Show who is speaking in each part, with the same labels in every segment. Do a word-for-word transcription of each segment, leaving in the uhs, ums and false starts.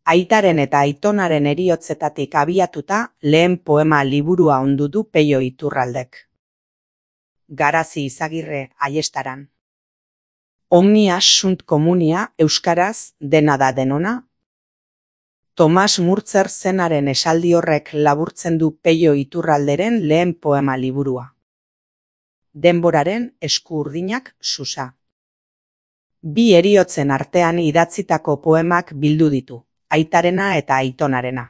Speaker 1: Aitaren eta aitonaren heriotzetatik abiatuta lehen poema liburua ondu du Peio Iturraldek. Garazi Izagirre Aiestaran. Omnia sunt comunia euskaraz dena da denona. Tomas Murtzer zenaren esaldi horrek laburtzen du Peio Iturralderen lehen poema liburua. Denboraren esku urdinak susa. Bi heriotzen artean idatzitako poemak bildu ditu, aitarena eta aitonarena.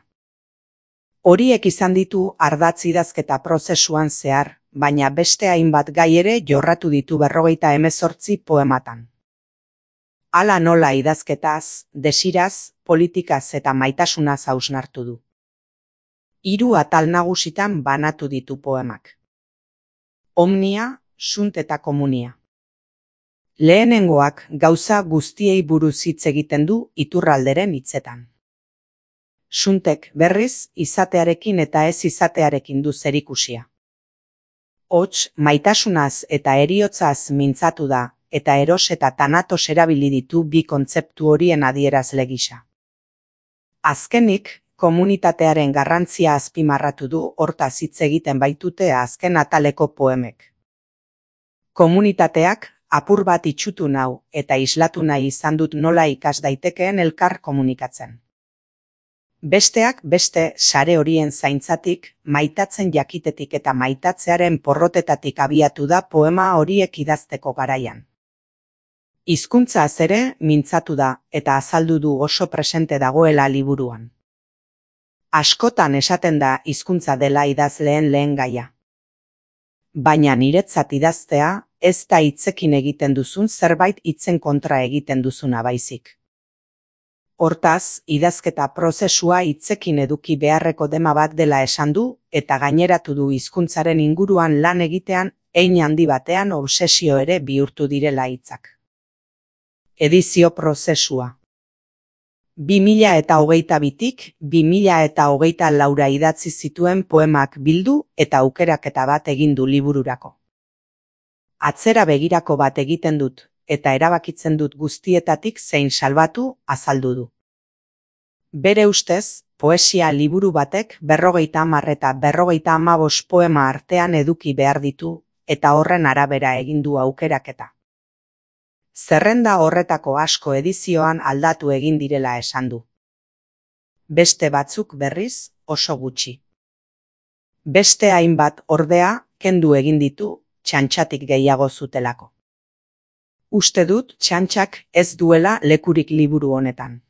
Speaker 1: Horiek izan ditu ardatz idazketa prozesuan zehar, baina beste hainbat gai ere jorratu ditu berrogeita hemezortzi poematan. Hala nola idazketaz, desiraz, politikaz eta maitasunaz hausnartu du. Hiru atal nagusitan banatu ditu poemak. Omnia, sunt eta komunia. Lehenengoak gauza guztiei buruz hitz egiten du Iturralderen hitzetan. Suntek berriz izatearekin eta ez izatearekin du zerikusia. Hots, maitasunaz eta heriotzaz mintzatu da, eta eros eta tanatos erabili ditu bi kontzeptu horien adierazle gisa. Azkenik, komunitatearen garrantzia azpimarratu du hortaz hitz egiten baitute azken ataleko poemek. Komunitateak apur bat itxutu nau eta islatu nahi izan dut nola ikas daitekeen elkar komunikatzen. Besteak beste sare horien zaintzatik, maitatzen jakitetik eta maitatzearen porrotetatik abiatu da poema horiek idazteko garaian. Hizkuntzaz ere mintzatu da eta azaldu du oso presente dagoela liburuan. Askotan esaten da hizkuntza dela idazleen lehen gaia. Baina niretzat idaztea ez da hitzekin egiten duzun zerbait hitzen kontra egiten duzuna baizik. Hortaz, idazketa prozesua hitzekin eduki beharreko dema bat dela esan du eta gaineratu du hizkuntzaren inguruan lan egitean hein handi batean obsesio ere bihurtu direla hitzak. Edizio prozesua. bi mila eta hogeita bitik bi mila eta hogeita laura idatzi zituen poemak bildu eta aukeraketa bat egin du libururako. Atzera begirako bat egiten dut, eta erabakitzen dut guztietatik zein salbatu azaldu du. Bere ustez, poesia liburu batek berrogeita hamar eta berrogeita hamabost poema artean eduki behar ditu, eta horren arabera egin du aukeraketa. Zerrenda horretako asko edizioan aldatu egin direla esan du. Beste batzuk berriz oso gutxi. Beste hainbat ordea kendu egin ditu txantxatik gehiago zutelako. Uste dut txantxak ez duela lekurik liburu honetan.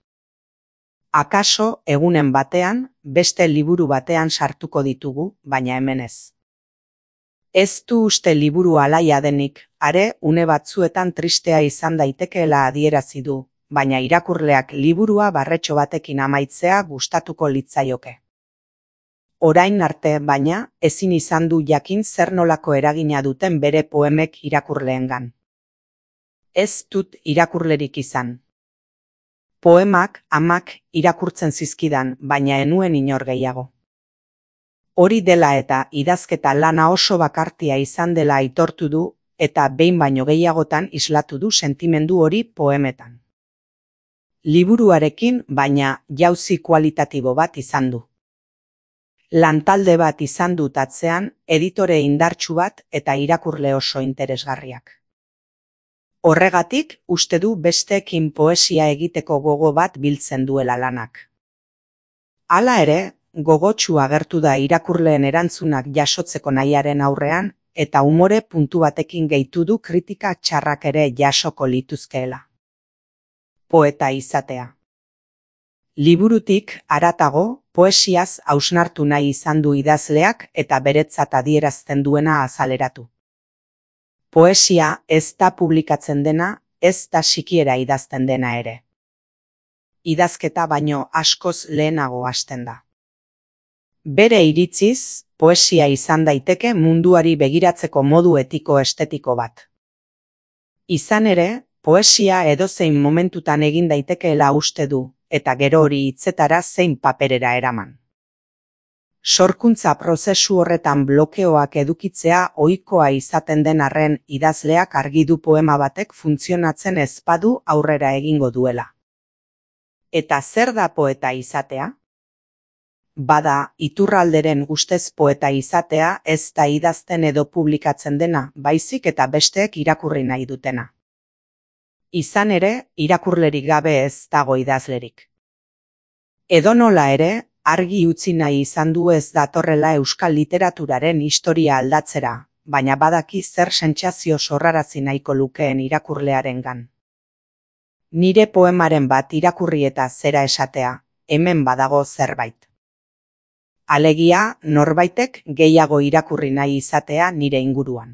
Speaker 1: Akaso egunen batean, beste liburu batean sartuko ditugu, baina hemen ez. Ez du uste liburu alaia denik, are une batzuetan tristea izan daitekeela adierazi du, baina irakurleak liburua barretxo batekin amaitzea gustatuko litzaioke. Orain arte, baina, ezin izan du jakin zer nolako eragina duten bere poemek irakurleengan. Ez dut irakurlerik izan. Poemak, amak, irakurtzen zizkidan, baina enuen inor gehiago. Hori dela eta idazketa lana oso bakartia izan dela aitortu du, eta behin baino gehiagotan islatu du sentimendu hori poemetan. Liburuarekin, baina jauzi kualitatibo bat izan du. Lantalde bat izan dut atzean, editore indartsu bat eta irakurle oso interesgarriak. Horregatik, uste du besteekin poesia egiteko gogo bat biltzen duela lanak. Hala ere, gogotsu agertu da irakurleen erantzunak jasotzeko nahiaren aurrean, eta umore puntu batekin gehitu du kritika txarrak ere jasoko lituzkeela. Poeta izatea. Liburutik haratago, poesiaz hausnartu nahi izan du idazleak eta beretzat adierazten duena azaleratu. Poesia ez da publikatzen dena, ez da sikiera idazten dena ere. Idazketa baino askoz lehenago hasten da. Bere iritziz, poesia izan daiteke munduari begiratzeko modu etiko estetiko bat. Izan ere, poesia edozein momentutan egin daitekeela uste du, eta gero hori hitzetara zein paperera eraman. Sorkuntza prozesu horretan blokeoak edukitzea ohikoa izaten den arren idazleak argi du poema batek funtzionatzen ez badu aurrera egingo duela. Eta zer da poeta izatea? Bada, Iturralderen ustez poeta izatea ez da idazten edo publikatzen dena, baizik eta besteek irakurri nahi dutena. Izan ere, irakurlerik gabe ez dago idazlerik. Edonola ere, argi utzi nahi izan du ez datorrela euskal literaturaren historia aldatzera, baina badaki zer sentsazio sorrarazi nahiko lukeen irakurlearengan. Nire poemaren bat irakurri eta zera esatea, hemen badago zerbait. Alegia, norbaitek gehiago irakurri nahi izatea nire inguruan.